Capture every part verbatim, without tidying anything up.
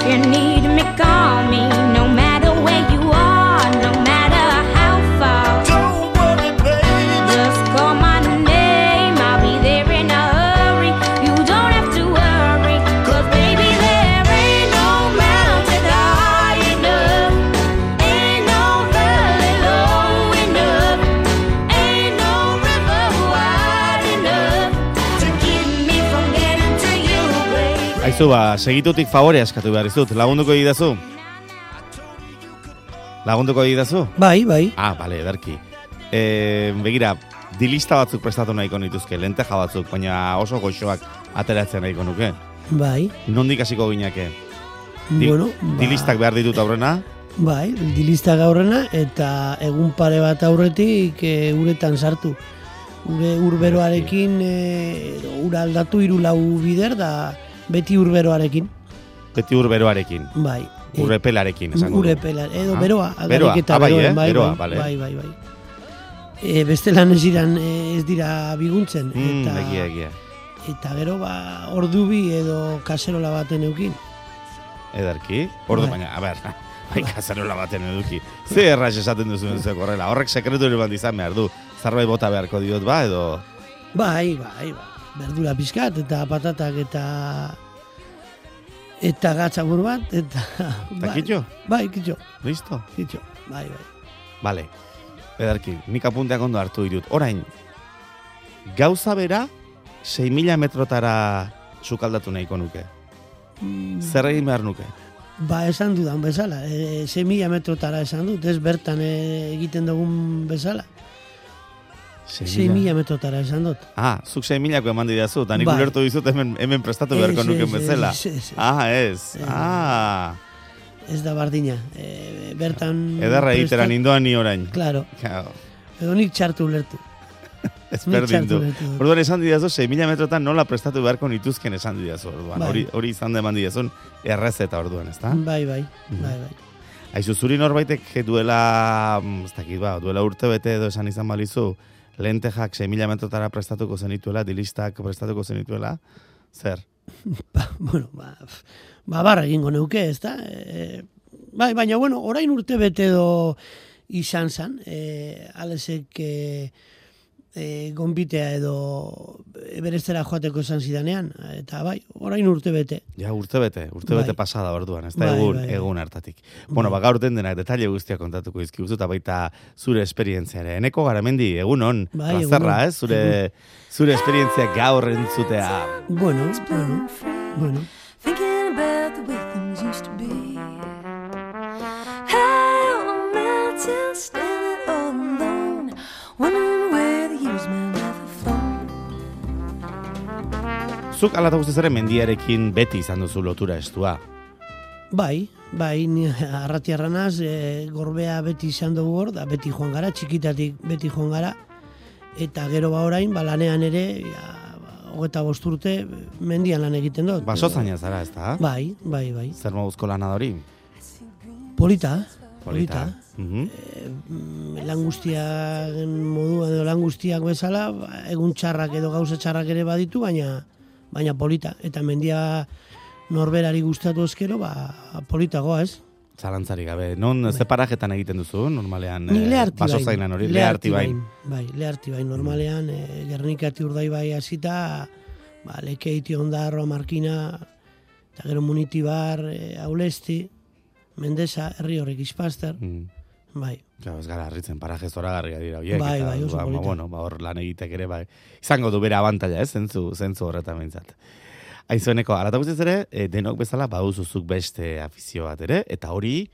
you need me, call me. No matter where you are, no matter how far. Don't worry, baby. Just call my name, I'll be there in a hurry. You don't have to worry, 'cause baby there ain't no mountain high enough, ain't no valley low enough, ain't no river wide enough to keep me from getting to you, baby. Aizu, ba, segitutik favore askatu behar izut. Lagunduko egidazu? Lagunduko egidazu? Bai, bai. Ah, bale, ederki. E, begira, dilista batzuk prestatu nahiko nituzke, lenteja batzuk, baina oso goxoak ateratzen nahiko nuke. Bai. Nondik hasiko gineke? Di- Bueno, ba, Dilistak behar ditut aurrena? bai, dilistak aurrena eta egun pare bat aurretik e, uretan sartu. Ure urberoarekin e, ura aldatu hiru lau bider da beti urberoarekin. Beti urberoarekin, Bai. E, urrepelarekin, esango du. Urepela, edo Ah, beroa, beroa. aldarik eta Ah, bai, beroa, eh? bai, Beroa, bai, bale. bai, bai, bai. E, bestelan ez diran e, ez dira biguntzen Mm, eta egia, egia. eta gero ba ordu bi edo kaserola baten eukin. Ederki. Ordu, Bai. baina, a ber, bai, kazarola baten eduki. Ze erraz esaten duzuen zuek horrela. Horrek sekretu ere bat izan behar du. Zerbait bota beharko diot ba, edo... Bai, bai, bai. Berdura pizkat eta patatak eta eta gatzabur bat eta Eta kitxo? Bai, kitxo, Listo? kitxo. Bai, bai. Bale. Ederki, nik apunteak ondo hartu ditut. Orain, gauza bera, sei mila metrotara sukaldatu nahiko nuke. Mm, Zer egin behar nuke? Ba, esan dudan bezala. E, sei mila metrotara esan dut, ez bertan e, egiten dugun bezala. sei mila metrotara esan dut. Ah, zuk sei milako eman didazu, eta nik Bai. ulertu dizut hemen, hemen prestatu beharko Ez, nuken ez, bezala. ez, ez, ez. Ah, ez. Ez. Ah, Ez da bardina. E, bertan... ederra egitera prestat- nindoan ni orain. Claro. Claro, Edo nik txartu ulertu. ez Nik berdin txartu du. ulertu dut. Orduan esan didazu, sei mila metrotan nola prestatu beharko nituzken esan didazu orduan. Bai. Hori, hori izan da eman didazun errezeta orduan, ezta? Bai, bai, Mhm. bai, bai. Aizu, zuri norbaitek duela, mm, ez dakit ba, duela urte bete edo esan izan balizu, lentejak sei mila metrotara prestatuko zenituela, dilistak prestatuko zenituela, zer? Ba, bueno, ba, f- ba barra egingo neuke, ez da? E, bai, baina, bueno, orain urte bete edo izan zan, e, alesek e, e, gonbitea edo berestera joateko esan zidanean, eta bai, orain urte bete. Ja, urte bete, urte Bai. bete pasada orduan, ez da Bai, egun, bai, bai. egun hartatik. Bueno, ba, gaur denak detaile guztiak kontatuko izkiguzu, eta baita zure esperientzia ere. Eneko Garamendi, egun on, Bai, egun plazerra, on. ez? Zure, zure esperientzia gaur entzutea. Bueno, bueno, bueno. Thinking about the way things used to be. High on a mountain, standing all alone, wondering where the years may have flown. Zuk alata guztiz ere mendiarekin beti izan duzu lotura estua. Bai, bai, ni arratiarra naz, e, gorbea beti izan dugu hor, da beti joan gara, txikitatik beti joan gara, eta gero ba orain, ba lanean ere, ja, ba, hogeta bost urte, mendian lan egiten dut. Baso zaina zara, ez da? Bai, bai, bai. Zer moduzko lana da hori? Polita, polita. Mhm. Mm, lan guztiak moduan edo lan guztiak bezala, ba, egun txarrak edo gauza txarrak ere baditu, baina baina polita. Eta mendia norberari gustatu ezkero, ba, politagoa, ez? Zalantzari gabe. Non, ze parajetan egiten duzu, normalean? Ni eh, leharti baso bain. zainan hori, leharti bain. Bai, leharti bain. Normalean, e, Gernikati Urdaibai hasita, ba, Lekeiti, Ondarroa, Markina, eta gero Munitibar, e, Aulesti, Mendesa, herri horrek Ispaster, Mm. bai. Claro, ez gara harritzen paraje zoragarriak dira horiek. Bai, eta, bai, oso ba, polita. bueno, ba, hor lan egitek ere, bai. Izango du bere abantaila, ez, zentzu, zentzu horretan behintzat. Aizueneko, alata guztiz ere, e, denok bezala baduzuzuk beste afizio bat ere, eta hori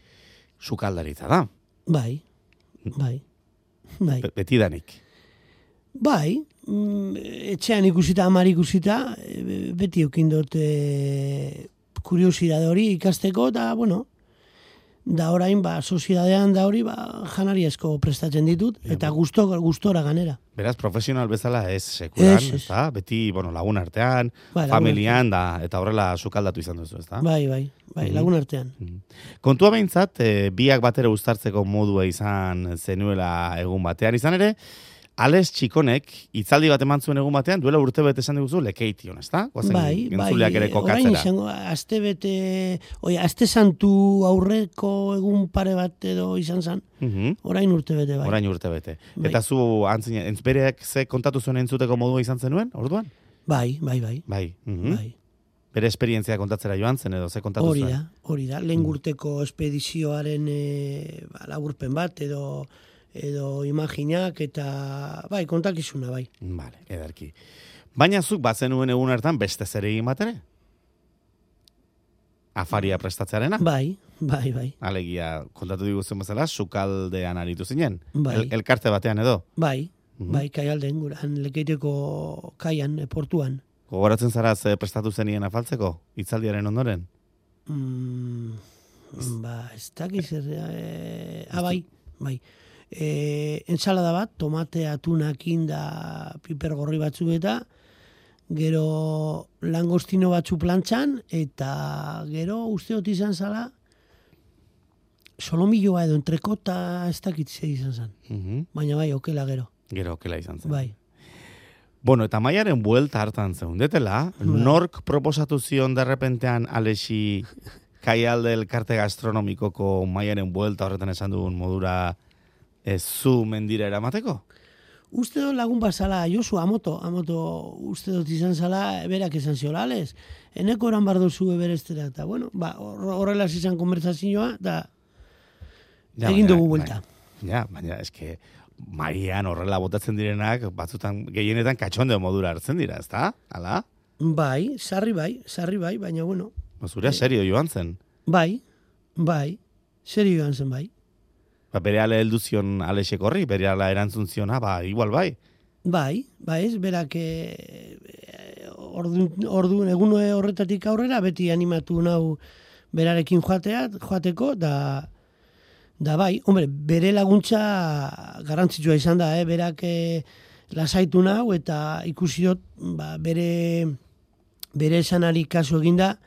sukaldaritza da. Bai, bai, bai. Be- Betidanik. Bai, mm, etxean ikusita, amar ikusita, e, beti eukin dut e, kuriosidade hori ikasteko, eta, bueno, da orain, ba, soziedadean da hori, ba, janari asko prestatzen ditut, eta gusto, gustora ganera. Beraz, profesional bezala ez sekulan, Ez, ez. ezta? Beti, bueno, lagun artean, Bai, lagun familian, da, eta horrela sukaldatu izan duzu, ezta? Bai, bai, bai, Mhm. lagun artean. Kontua behintzat, e, biak batera uztartzeko modua izan zenuela egun batean izan ere, Ales Txikonek hitzaldi bat eman zuen egun batean, duela urte bete esan diguzu lekeition, ezta? Goazen Bai, bai, entzuleak ere orain kokatzera. izango, aste bete, oi, aste santu aurreko egun pare bat edo izan zan, Mhm. orain urte bete bai. Orain urte bete. Bai. Eta zu antzine, entzbereak ze kontatu zuen entzuteko modua izan zenuen, orduan? Bai, bai, bai, Bai. Mhm. bai. Bere esperientzia kontatzera joan zen edo ze kontatu Hori zuen? da, hori da, lehen urteko espedizioaren e, ba, laburpen bat edo edo imaginak eta bai, kontakizuna bai. Vale, ederki. Baina zuk bazenuen egun hartan beste zer egin bat ere? Afaria prestatzearena? Bai, bai, bai, Alegia, kontatu diguzuen bezala, sukaldean aritu zinen. Bai. El, elkarte batean edo. bai, Mhm. bai, kaialden guran, lekeiteko kaian, e, portuan. Gogoratzen zara ze prestatu zenien afaltzeko, hitzaldiaren ondoren? Mm, ba, ez dakiz zer, e, ah, bai, bai. E, ensalada bat, tomate atunakin da piper gorri batzuk eta gero langostino batzu plantxan eta gero usteot izan zala solomilloa edo entrekota ez dakit ze izan zen. Mhm. Baina bai, okela gero. Gero, okela izan zen. Bai. Bueno, eta Maiaren buelta hartan zeundetela, nork proposatu zion derrepentean Alexi Kaialde elkarte gastronomikoko Maiaren buelta horretan esan dugun modura ez zu mendira eramateko? Uste dut lagun bazala, Josu, amoto, amoto, uste dut izan zala, berak esan ziola, ales, eneko eran bardo zu eberestera, eta bueno, ba, hor- horrela izan konbertsazioa, da Ja, egin baina- dugu buelta. baina- Ja, baina eske Maian horrela botatzen direnak, batzutan gehienetan katxondeo modura hartzen dira, ezta? Hala? Bai, sarri bai, sarri bai, baina bueno, Zure serio joan zen. bai, bai, serio joan zen bai. Ba, bere ale heldu zion Alexek horri, bere ala erantzun ziona, ba, igual bai. Bai, bai ez, berak eh, ordu, ordu, egun horretatik aurrera beti animatu nau berarekin joatea, joateko, da, da bai, hombre, bere laguntza garrantzitsua izan da, eh? Berak eh, lasaitu nau eta ikusi dut ba, bere, bere esanari kasu eginda,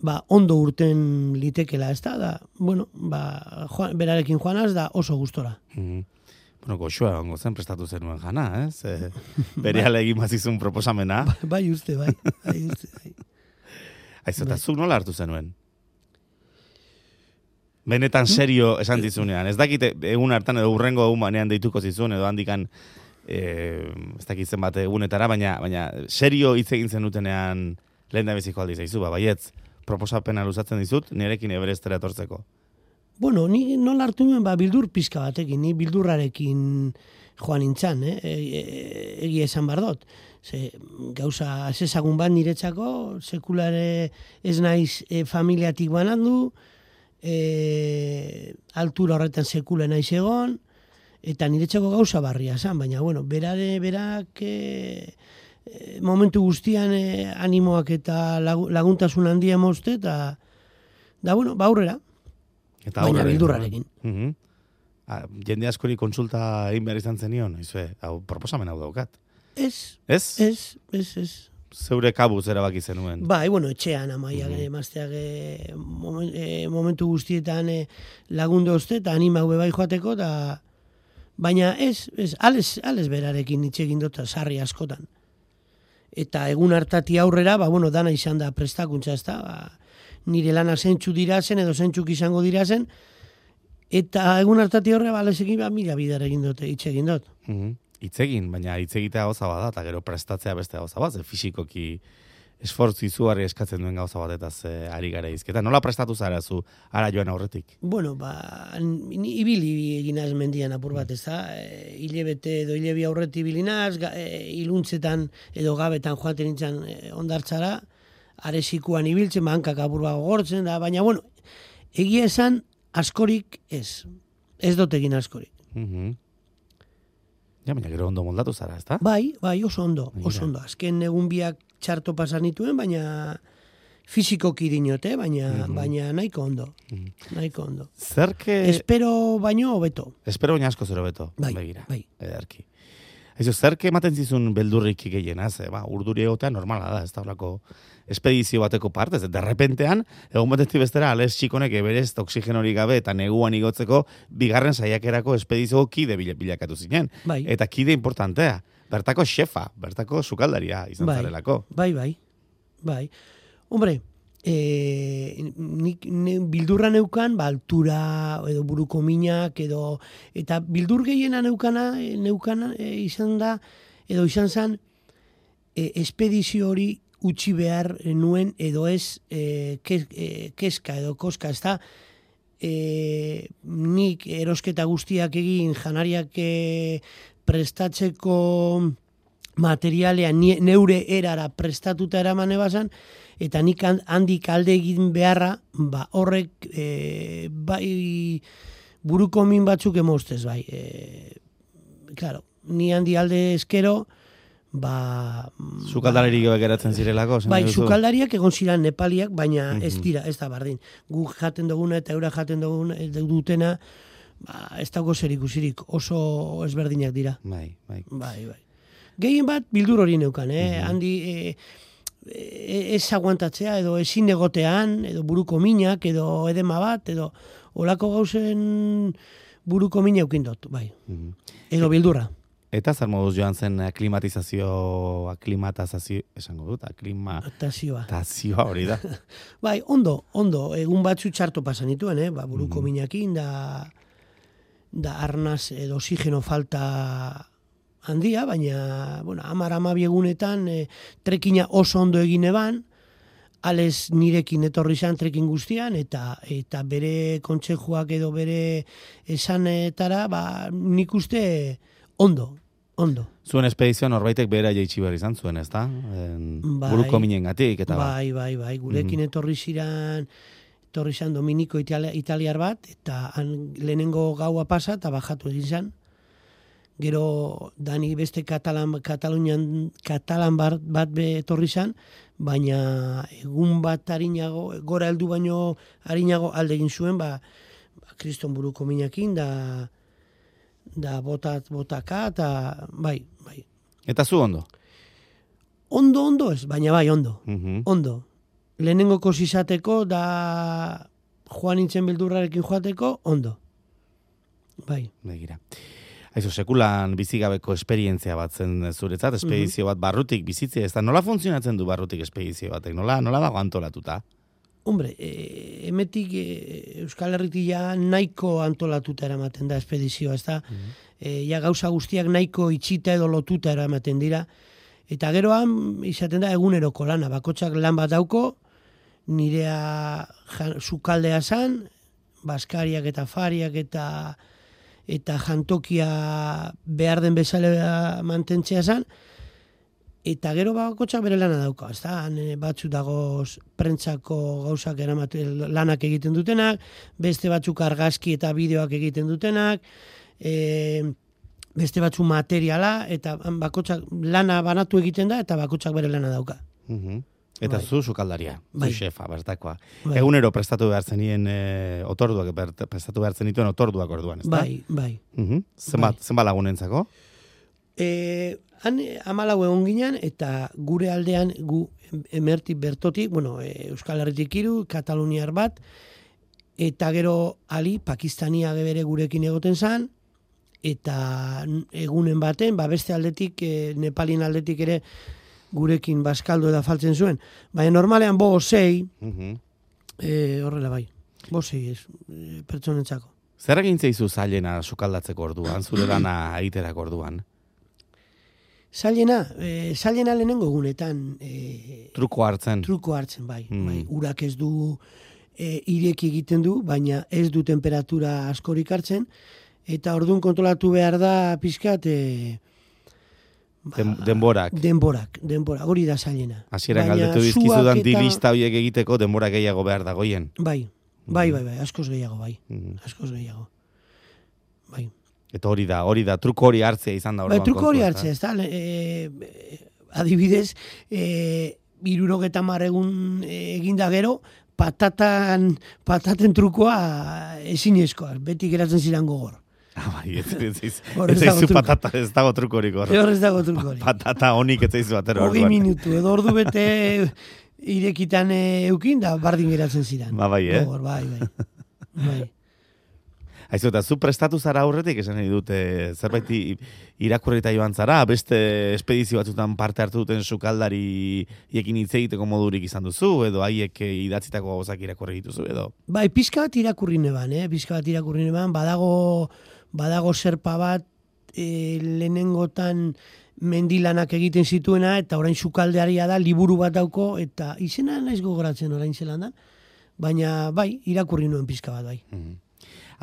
ba, ondo urten litekela, ez da, da, bueno, ba, joan, berarekin joanaz, da oso gustora. Mhm. Bueno, goxoa egongo zen prestatu zenuen jana, ez? E, bere ale egin bazizun proposamena. Bai uste, bai, bai uste, bai. Aizu, eta zuk nola hartu zenuen? Benetan serio esan dizunean. Ez dakite egun hartan edo urrengo egun banean deituko zizun, edo handikan e, ez dakit zenbat egunetara, baina, baina serio hitz egin zenutenean lehen da beziko aldiz, aizu, ba, baietz, proposapena luzatzen dizut, nirekin eberestera etortzeko. Bueno, ni nola hartu nuen, ba, bildur pizka batekin, ni bildurrarekin joan nintzan, eh? E, e, egia esan bardot. Ze, gauza ezagun bat niretzako, sekulare ez naiz e, familiatik banandu, e, altura horretan sekule naiz egon, eta niretzako gauza barria zan, baina, bueno, berare, berak e, e, momentu guztian e, animoak eta lagu- laguntasun handia mozte, eta, da, bueno, ba, aurrera. Eta Baina aurrera beldurrarekin. Mhm. Ah, jende askori kontsulta egin behar izan zenion, izue, hau, proposamen hau daukat. Ez, Ez? ez, ez, ez. Zeure kabuz erabaki zenuen. Bai, bueno, etxean amaiak Mhm. mm emazteak e, momen, e, momentu guztietan e, lagundu oste eta anima hue bai joateko, da, baina ez, ez, ales, ales berarekin hitz egin dut sarri askotan. Eta egun hartati aurrera, ba, bueno, dana izan da prestakuntza, ez da, ba, nire lana zentsu dira zen, edo zentsuk izango dira zen, eta egun hartati aurrera, ba, alesekin, ba, mila bidar egin dut, hitz egin dut. Mhm. Hitz egin, baina hitz egitea gauza bada, eta gero prestatzea beste gauza bat, ze fisikoki esfortzu izugarri eskatzen duen gauza batetaz e, ari gara izketa. Nola prestatu zara zu, ara joan aurretik? Bueno, ba, ni ibili eginaz mendian apur bat, ez da? E, hilebete edo hilebi aurreti ibilinaz, ga, e, iluntzetan edo gabetan joaten nintzen e, ondartzara, aresikuan ibiltzen, bankak apur bat gogortzen, da, baina, bueno, egia esan askorik ez. Ez dut egin askorik. Mhm. Ja, baina gero ondo moldatu zara, ezta? Bai, bai, oso ondo, oso Mira. ondo. Azken egun biak txarto pasan nituen, baina fizikoki dinote, baina, Mhm. baina nahiko ondo, Mhm. nahiko ondo. Zerke... Espero baino hobeto. Espero baina asko zero beto, Bai, begira. bai. Ederki. Aizu, zerk ematen zizun beldurrik gehiena, ze, ba, urduri egotea normala da, ez da horako espedizio bateko partez, de repentean, egun batetik bestera, Alex Txikonek eberez oxigenorik gabe eta neguan igotzeko bigarren saiakerako espedizio kide bil- bilakatu zinen. Bai. Eta kide importantea, bertako xefa, bertako sukaldaria izan Bai, zarelako. bai, bai, bai. Hombre, e, nik ne, bildurra neukan, ba, altura, edo buruko minak, edo, eta bildur gehiena neukana, e, neukana e, izan da, edo izan zen, e, espedizio hori utzi behar nuen, edo ez e, kes, e, keska edo koska, ez da, e, nik erosketa guztiak egin, janariak e, prestatzeko materialea nie- neure erara prestatuta eramane bazan, eta nik han- handik alde egin beharra, ba, horrek e, bai buruko min batzuk emostez, bai. E, claro, ni handi alde eskero, ba... Sukaldalerik gabe geratzen zirelako, esan Bai, nahi duzu? sukaldariak egon ziren nepaliak, baina ez Mhm. dira, ez da bardin. Gu jaten duguna eta eura jaten duguna, dutena, ba, ez dago zer ikusirik, oso ezberdinak dira. Bai, bai. Bai, bai. Gehien bat bildur hori neukan, eh? Mhm. Handi e, e, ez aguantatzea, edo ezin egotean, edo buruko minak, edo edema bat, edo olako gauzen buruko mina eukindot, bai. Mhm. Edo bildurra. Eta zer moduz joan zen aklimatizazio, aklimatazazio, esango dut, aklimatazioa Tazioa. hori da. Bai, ondo, ondo, egun batzu txarto pasan dituen, eh? Ba, buruko Mhm. minakin, da, da arnaz edo oxigeno falta handia, baina, bueno, amar amabi egunetan e, trekina oso ondo egin eban, ales nirekin etorri zan trekin guztian, eta eta bere kontsejuak edo bere esanetara, ba, nik uste ondo, ondo. Zuen espedizioa norbaitek behera jaitsi behar izan zuen, ez da? En, Bai. buruko minengatik eta ba. Bai, bai, bai, gurekin etorri ziran, etorri zan Dominiko Italia, italiar bat, eta han lehenengo gaua pasa, eta bajatu egin zan. Gero dani beste Katalan, Katalunian, Katalan bat, bat be etorri zan, baina egun bat harinago, gora heldu baino harinago alde egin zuen, ba, ba kriston buruko minakin, da, da botat, botaka, eta bai, bai. Eta zu ondo? Ondo, ondo ez, baina bai, ondo. Mhm. Ondo. Lehenengo izateko, da joan nintzen bildurrarekin joateko, ondo. Bai. Begira. Aizu, sekulan bizigabeko esperientzia bat zen zuretzat, espedizio bat barrutik bizitzea, ez da nola funtzionatzen du barrutik espedizio batek, nola, nola dago antolatuta? Hombre, e, emetik e, Euskal Herritik ja nahiko antolatuta eramaten da espedizioa, ez da? E, ja gauza guztiak nahiko itxita edo lotuta eramaten dira. Eta geroan, izaten da eguneroko lana, bakotxak lan bat dauko, nirea jan, sukaldea zan, baskariak eta fariak eta eta jantokia behar den bezala mantentzea zan, eta gero bakotxak bere lana dauka, ez da, batzu dagoz prentsako gauzak eramate, lanak egiten dutenak, beste batzuk argazki eta bideoak egiten dutenak, e, beste batzu materiala, eta bakotxak lana banatu egiten da, eta bakotxak bere lana dauka. Mhm. Eta Bai. zu sukaldaria, Bai. zu xefa, bertakoa. Bai. Egunero prestatu behar zenien e, otorduak, bert- prestatu behar zenituen otorduak orduan, ez da? Bai, bai. Mhm. Zenbat, zenbat lagunentzako? E, han amalau egon ginen, eta gure aldean, gu emertik bertotik, bueno, e, Euskal Herritik hiru, Kataluniar bat, eta gero ali, Pakistania bere gurekin egoten zan, eta egunen baten, ba beste aldetik, e, Nepalin aldetik ere gurekin baskaldo eda faltzen zuen. Baina normalean bo sei, Mhm. e, horrela bai, bo sei ez, e, pertsonentzako. Zer egin zeizu zailena sukaldatzeko orduan, zure lana egiterako orduan? Zailena, e, zailena lehenengo egunetan, e, Truko hartzen. truko hartzen, bai. Mm. bai. Urak ez du e, ireki egiten du, baina ez du temperatura askorik hartzen, eta orduan kontrolatu behar da pizkat e, ba, Den, denborak. denborak, denborak, hori da zailena. Hasieran Baina galdetu suak dizkizudan eta- dilista horiek egiteko denbora gehiago behar dagoien. Bai, bai, bai, bai, askoz gehiago, bai, Mhm. askoz gehiago. Bai. Eta hori da, hori da, truko hori hartzea izan da Bai, orduan. truko hori kontua, hartzea, ez da, e, e, adibidez, e, irurogeta marregun eginda gero, patatan, pataten trukoa ezinezkoa, beti geratzen ziren gogor. Ah, bai, ez, ez, ez, Hor ez ez dago zaizu truko. patata, ez dago trukorik hor. Hor ez dago truko hori. Patata honik ez zaizu atero Hogei orduan. minutu, edo ordu bete irekitan eh, eukin, da bardin geratzen ziren. Ba, bai, eh? Gogor, bai, bai. bai. Aizu, eta zu prestatu zara aurretik, esan nahi dute, zerbait i- irakurrita joan zara, beste espedizio batzutan parte hartu duten sukaldari iekin hitz egiteko modurik izan duzu, edo haiek eh, idatzitako gauzak irakurri dituzu, edo? Bai, pizka bat irakurri neban, eh? Pizka bat irakurri neban, badago, badago zerpa bat e, lehenengotan mendilanak egiten zituena, eta orain sukaldearia da, liburu bat dauko, eta izena naiz gogoratzen orain zelan da, baina bai, irakurri nuen pizka bat, bai.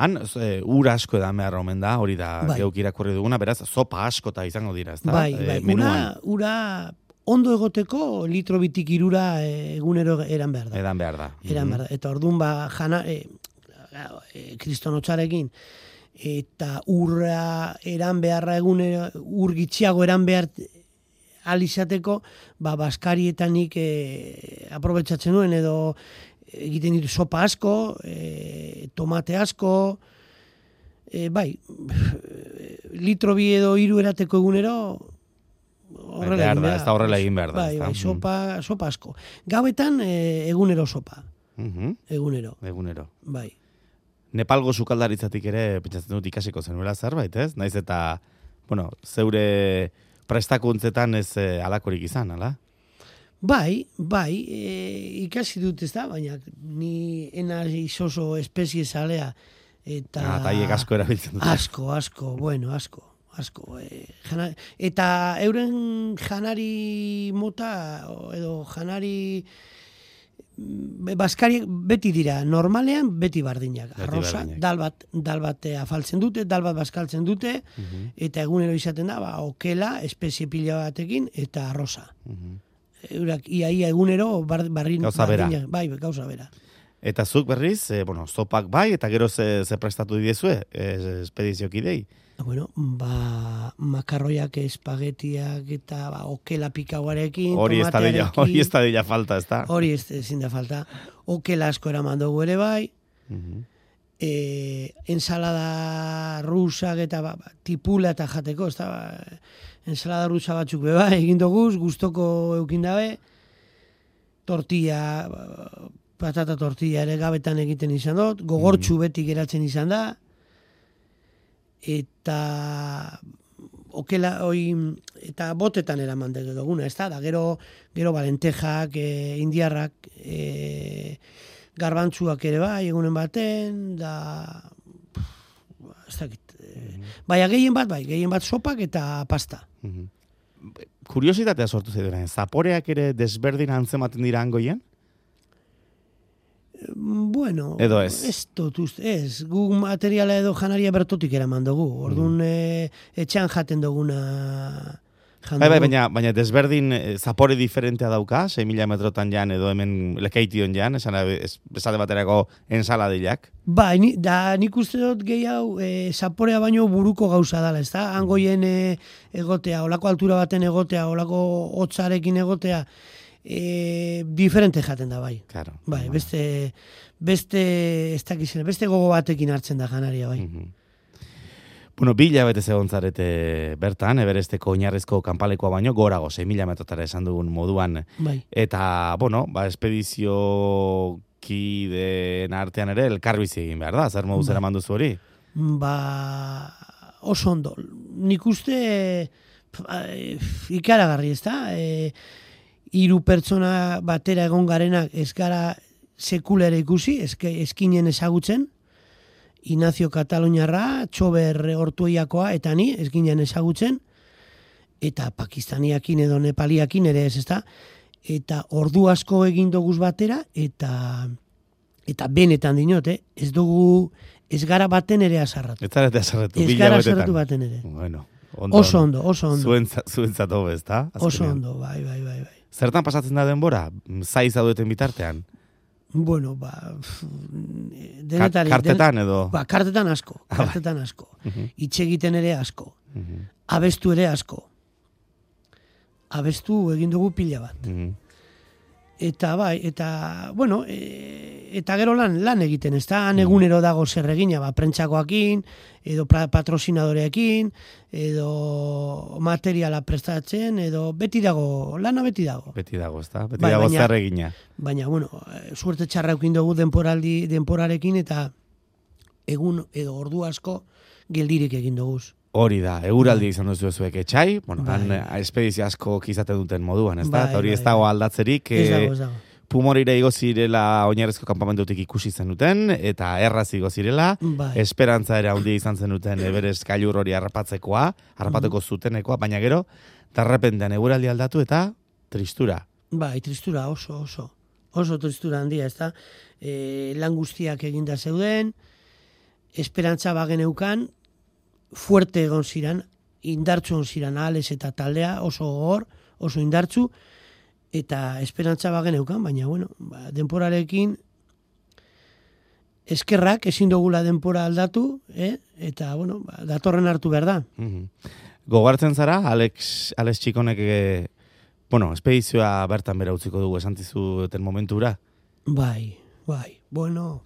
Han, e, ur asko edan behar omen da, hori da Bai. geuk irakurri duguna, beraz, sopa askota izango dira, ezta? Bai, E, bai, ura, menuan, ura ondo egoteko litro bitik irura eh, egunero eran behar da. edan behar da. Eran Mhm. behar da. Eta orduan ba, jana, e, e, kristonotxarekin, eta urra eran beharra egunero, ur gitxiago eran behar alizateko, ba, baskarietanik e, aprobetsatzen nuen, edo egiten ditu sopa asko, e, tomate asko, e, bai, litro bi edo hiru erateko egunero, horrela behar egin da, behar ez da horrela egin behar da, Bai, ezta? bai, Mhm. sopa, sopa asko. Gauetan e, egunero sopa, Mhm. egunero, Egunero. bai. Nepalgo sukaldaritzatik ere, pentsatzen dut ikasiko zenuela zerbait, ez? Naiz eta, bueno, zeure prestakuntzetan ez eh, alakorik izan, ala? Bai, bai, e, ikasi dut ez da, baina ni ena izoso espezie zalea, eta... Ah, eta haiek asko erabiltzen dute. Asko, asko, bueno, asko, asko. E, jana, eta euren janari mota, o- edo janari mm, baskariak beti dira, normalean beti bardinak. Beti Arroza, bardinak. dal bat, dal bat afaltzen dute, dal bat baskaltzen dute, Mhm, eta egunero izaten da, ba, okela, espezie pila batekin, eta arroza. mhm. Eurak ia ia egunero bar, barrin, Gauza bera. bardinak, bai, gauza bera. Eta zuk berriz, e, bueno, zopak bai, eta gero ze, ze prestatu diezue, e, espediziokidei. Bueno, ba, makarroiak, espagetiak eta ba, okela pikauarekin, Hori ez da dela, tomatearekin, hori ez da dela falta, ez da? hori ez ezin da falta. Okela asko eraman dugu ere bai, Mhm. e, ensalada rusak eta ba, ba, tipula eta jateko, ez da, ba, ensalada rusa batzuk be bai, egin doguz, gustoko eukin dabe, tortilla, ba, patata tortilla ere gabetan egiten izan dut, gogortxu beti geratzen izan da, eta okela, oi, eta botetan eraman duguna, ez da, da gero, gero balentejak, e, indiarrak, e, garbantzuak ere bai, egunen baten, da, ez dakit, e, baina gehien bat, bai, gehien bat sopak eta pasta. Mhm. Kuriositatea sortu zaiduren, zaporeak ere desberdin antzematen dira hangoien? Bueno, Edo ez? Ez dut uste, ez, gu materiala edo janaria bertotik eraman dugu, orduan e, etxean jaten duguna jan Bai, bai, dugu. baina, baina desberdin eh, zapore diferentea dauka, sei mila metrotan jan edo hemen lekeition jan, esan ez- esate baterako ensaladilak. Bai, ni, da nik uste dut gehi hau e, zaporea baino buruko gauza dala, ez da? Hangoien e, egotea, olako altura baten egotea, olako hotzarekin egotea, e, diferente jaten da, bai. Claro. Bai, beste, beste, ez dakizena, beste gogo batekin hartzen da janaria, bai. Mhm. Bueno, bi hilabete zegoen zarete bertan, Everesteko oinarrizko kanpalekoa baino, gorago, sei mila metrotara esan dugun moduan. Bai. Eta, bueno, ba, espedizio kideen artean ere elkarbizi egin behar da, zer moduz Bai. eraman duzu hori? Ba, oso ondo. Nik uste pa, e, ikaragarri, ez da? E, hiru pertsona batera egon garenak ez gara sekula ere ikusi, eske, eskinen ezagutzen, Ignacio Kataluniarra, Txober Ortueiakoa, eta ni, eskinen ezagutzen, eta pakistaniakin edo nepaliakin ere ez, ez da? Eta ordu asko egin doguz batera, eta eta benetan dinot, eh? ez dugu, ez gara baten ere azarratu. Ez zarete azarretu, Ez bi gara hilabetetan. azarratu baten ere. Bueno, ondo. Oso ondo, oso ondo. Zuentza, zuentzat hobe, ez da? Oso ondo, bai, bai, bai, bai. Zertan pasatzen da denbora? Zaiz zaudeten bitartean? Bueno, ba, pf, Ka- denetari. kartetan edo? Ba, kartetan asko, Ah, bai. kartetan asko. Mhm. Hitz egiten ere asko. Mhm, Abestu ere asko. Abestu egin dugu pila bat. mhm. Eta bai, eta, bueno, e, eta gero lan, lan egiten, ez da, egunero dago zer egina, ba, prentsakoakin, edo pra- patrozinadoreekin, edo materiala prestatzen, edo beti dago, lana beti dago. Beti dago, ezta? Beti Bai, dago baina- zer egina. Baina, bueno, eh, suerte txarra eukin dugu denporaldi, denporarekin, eta egun edo ordu asko geldirik egin duguz. Hori da, eguraldi izan duzu zuek etxai, bueno, Bai. han eh, espedizio asko izate duten moduan, ez da? Bai, Eta hori bai, ez dago bai. aldatzerik, Ez eh, dago, ez dago. Pumorira igo zirela oinarrezko kanpamentutik ikusi zenuten, eta erraz igo zirela, Bai. esperantza ere handia izan zenuten Everest gailur hori harrapatzekoa, harrapateko zutenekoa, baina gero, darrepentean eguraldi aldatu eta tristura. Bai, tristura oso, oso. Oso tristura handia, ez da? E, lan guztiak eginda zeuden, esperantza bageneukan, fuerte egon ziren, indartzu egon ziren Alex eta taldea, oso gogor, oso indartzu, eta esperantza bageneukan, baina, bueno, ba, denporarekin eskerrak ezin dugula denpora aldatu, eh? Eta, bueno, ba, datorren hartu behar da. Mhm. Gogartzen zara, Alex, Alex Txikonek, e, bueno, espedizioa bertan bera utziko dugu esan zizuten momentura. Bai, bai, bueno,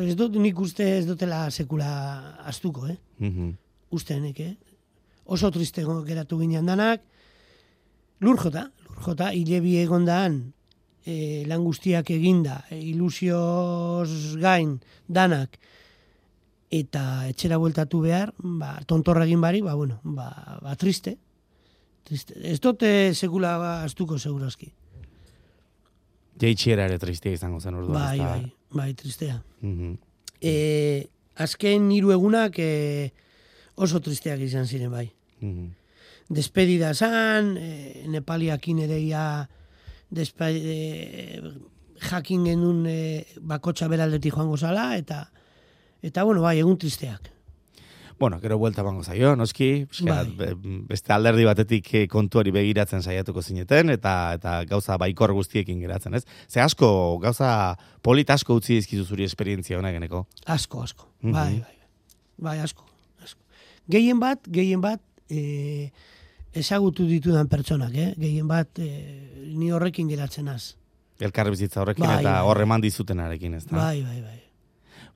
ez dut nik uste ez dutela sekula astuko, eh? Mhm. Uste nek, eh? Oso triste geratu ginean danak, lur jota, lur jota, hile bi egondan, e, lan guztiak eginda, e, ilusioz gain danak, eta etxera bueltatu behar, ba, tontorra egin bari, ba, bueno, ba, ba triste. triste. Ez dute sekula astuko segurazki. Jaitxiera ere tristia izango zen orduan. Bai, ezta? bai, bai, tristea. Mhm. E, azken hiru egunak e, oso tristeak izan ziren bai. Mhm. Despedida zan, e, Nepaliakin ere ia despe, e, jakin genuen e, bakotxa beraldetik joango zala, eta eta bueno, bai, egun tristeak. Bueno, gero buelta bango zaio, noski, pixka, Bai. be- beste alderdi batetik eh, kontuari begiratzen saiatuko zineten, eta eta gauza baikor guztiekin geratzen, ez? Ze asko, gauza polit asko utzi dizkizu zuri esperientzia honegeneko. Asko, asko. Mhm. Bai, bai. Bai, asko, asko. Gehien bat, gehien bat, e, ezagutu ditudan pertsonak, eh? Gehien bat, e, ni horrekin geratzen az. Elkarbizitza horrekin Bai, eta bai. hor eman dizutenarekin, ez da? Bai, bai, bai.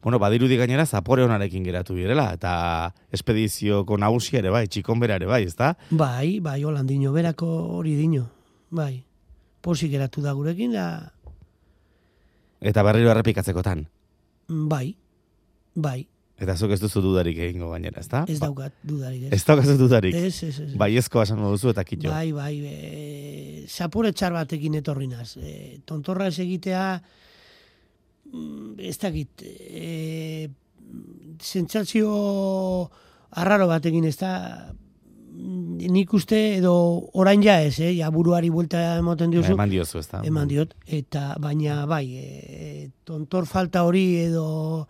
Bueno, badirudi gainera zapore honarekin geratu direla, eta espedizioko nagusia ere bai, txikon bera ere bai, ez da? Bai, bai, holandino, berako hori dino. Bai. Pozik geratu da gurekin, da, Eta berriro errepikatzekotan. bai, bai, Eta zuk ez duzu dudarik egingo gainera, ez da? ez daukat dudarik, ez. Ez daukazu dudarik. Ez, ez, ez. Bai ezko esango duzu eta kitxo. Bai, bai, e, zapore txar batekin etorri naz. E, tontorra ez egitea, mm, ez dakit, e, sentsazio arraro batekin, ez da, mm, nik uste edo orain ja ez, eh? Ja buruari buelta emoten diozu. Eman diozu, ez da? Eman diot, eta baina bai, e, tontor falta hori edo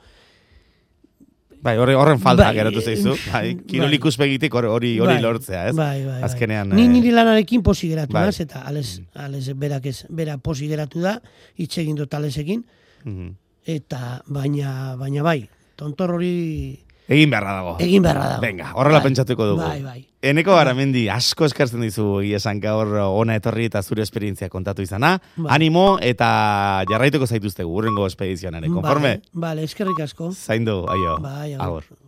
Bai, horre, horren falta Bai, geratu zaizu. Bai, kirol bai. ikuspegitik hor- hori hori Bai, lortzea, ez? Bai, bai, bai. Azkenean... Ni eh, niri lanarekin posi geratu bai. naz, eta ales, ales berak ez, bera posi geratu da, hitz egin dut alesekin, mhm. eta baina, baina bai, tontor hori Egin beharra dago. egin beharra dago. Venga, horrela Bai, pentsatuko dugu. Bai, bai. Eneko Garamendi, asko eskertzen dizu egia esan gaur ona etorri eta zure esperientzia kontatu izana. Bai. Animo eta jarraituko zaituztegu urrengo espedizioan ere. Konforme? Vale, vale, eskerrik asko. Zaindu, aio. Bai, agur. Agur.